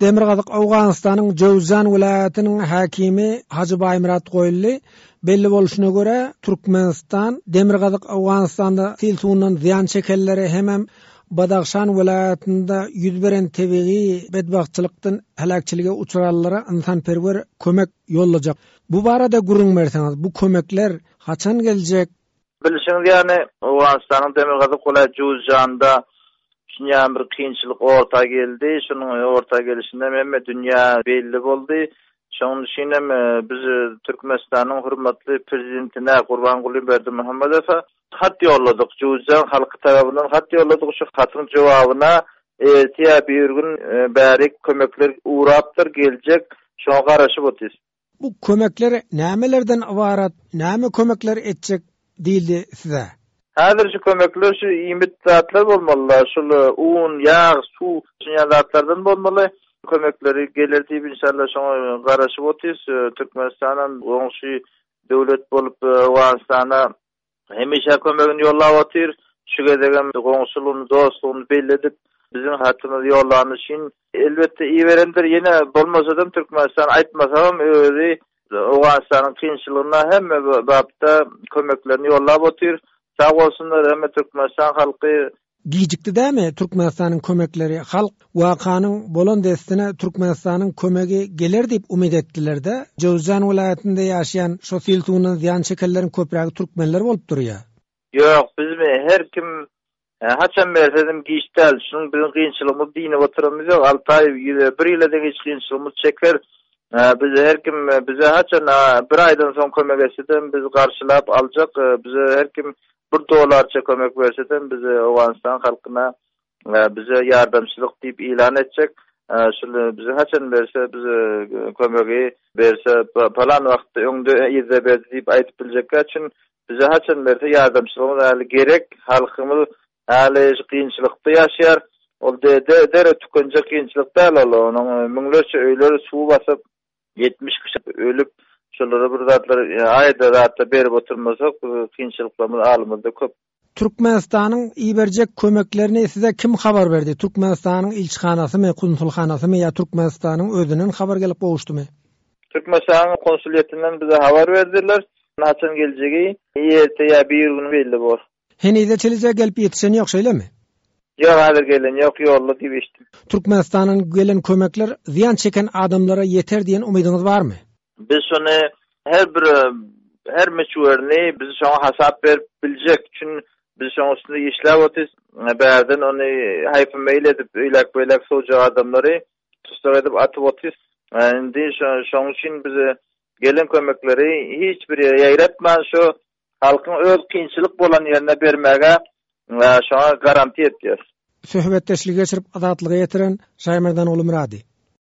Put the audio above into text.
Demirgazyk Owganystanyň Jöwzjan welaýatynyň häkimi Hajy Baýmyrat Goýly, Belli bolşuna görä, Türkmenistan Demirgazyk Owganystanda sil suwundan zyýan çekenlere hemem Badahşan welaýatynda ýüz beren tebigy betbagtçylykdan heläkçilige uçranlara ynsanperwer kömek ýollajak. Bu barada gürrüň berseňiz, bu kömekler haçan geljek? Bilşiňiz ýaly, Owganystanyň demirgazyk welaýat Juzjanda şunýan bir kynçylyk orta geldi. Şunuň orta gelşinden hemme dünýä belli boldy. Şonuň üçin hem biz Türkmenistanyň hormatly Prezidentine Gurbanguly Berdimuhamedowa hat ýolladyk. Juzjan halky tarapyndan hat ýolladyk. Şu hatyň jogabyna ertir ýa birigün bärik kömekler ugrapdyr, geljek. Şoňa garaşyp otyrys. Bu kömekler nämelerden ybarat, näme kömekler etjek diýildi size? Häzir şu kömekler şu iýmit zatlar bolmalyda, şul un, ýag, suw şunýa zatlardan bolmaly. Kömekleri geler diýip inşallah şoňa garaşyp otyrys. Türkmenistanam goňşy döwlet bolup Owganystana Hemişe kömegini ýollap otyr. Şu gezegem goňşulygyny, dostlugyny belli edip, biziň hatymyzy ýollany üçin, elbetde, iberendir. Ýene bolmasadam, Türkmenistan aýtmasagam, özi Owganystanyň kynçylygyna hemme bapda kömeklerini ýollap otyr. Sag bolsunlar hemme Türkmenistan halky. Gijikdi dämi Türkmenistanyň kömekleri halk wakanyň bolan dessine Türkmenistanyň kömegi geler diýip umyt etdilerde Jöwüzjan welaýatynda ýaşaýan şo sil suwundan zyýan çekenleriň köprägi türkmenler bolup durýa. Ýok bizmi her kim haçan bersedim giç däl şunuň biziň kynçylygymyz dynyp oturamyz ýok alty aý bir ýyla deňiç kynçylygymyz çeker biz her kim bize haçan bir aýdan soň kömek etsedem biz garşylap aljak bize her kim Bir dollarça kömek bersedem biz Owganystan halkyna bize ýardamçylyk diýip ýylan etjek. Şul bize haçan berse biz kömegi berse palan wagtda öňde yzda berdi diýip aýdyp biljekkä üçin bize haçan berse ýardamçylygymyz häli gerek. Halkymyz häli şu kynçylykda ýaşaýar. Ol derrew tükenjek kynçylyk däl ol. Onuň müňlerçe öýleri suw basyp 70 kişi ölüp, şolara bir zatlar aýda zatlar berip oturmasak, kynçylyklarymyz alymyzda köp. Türkmenistanyň iberjek kömeklerini size kim habar berdi? Türkmenistanyň ilçihanasymy, konsulhanasymy ýa Türkmenistanyň özünden habar gelip gowuşdymy? Türkmenistanyň konsulýetinden bize habar berdiler. Haçan geljegi erte ýa birigün belli bor. Henize çenli gelip ýetişen ýok şeýlemi? Ýok häzir gelen ýok ýolda diýip eşitdim. Türkmenistandan gelen kömekler zyýan çeken adamlara ýeter diýen umydyňyz barmy? Biz şony her bir her möçberini biz şoňa hasap berip biljek üçin biz şoň üstünde işläp otyrys. Bärden ony haýpy meýil edip öýläk beýläk sowjak adamlary tussag edip atyp otyrys. Indi şoň üçin biz gelen kömekleri hiç bir ýere ýaýratman şu Halkyň öz kynçylyk bolan ýerine bermäge şoňa garantiýa etýäs. Söhbetdeşligi geçirip Azatlyga ýetiren Şaýmerdan Gulumyrady.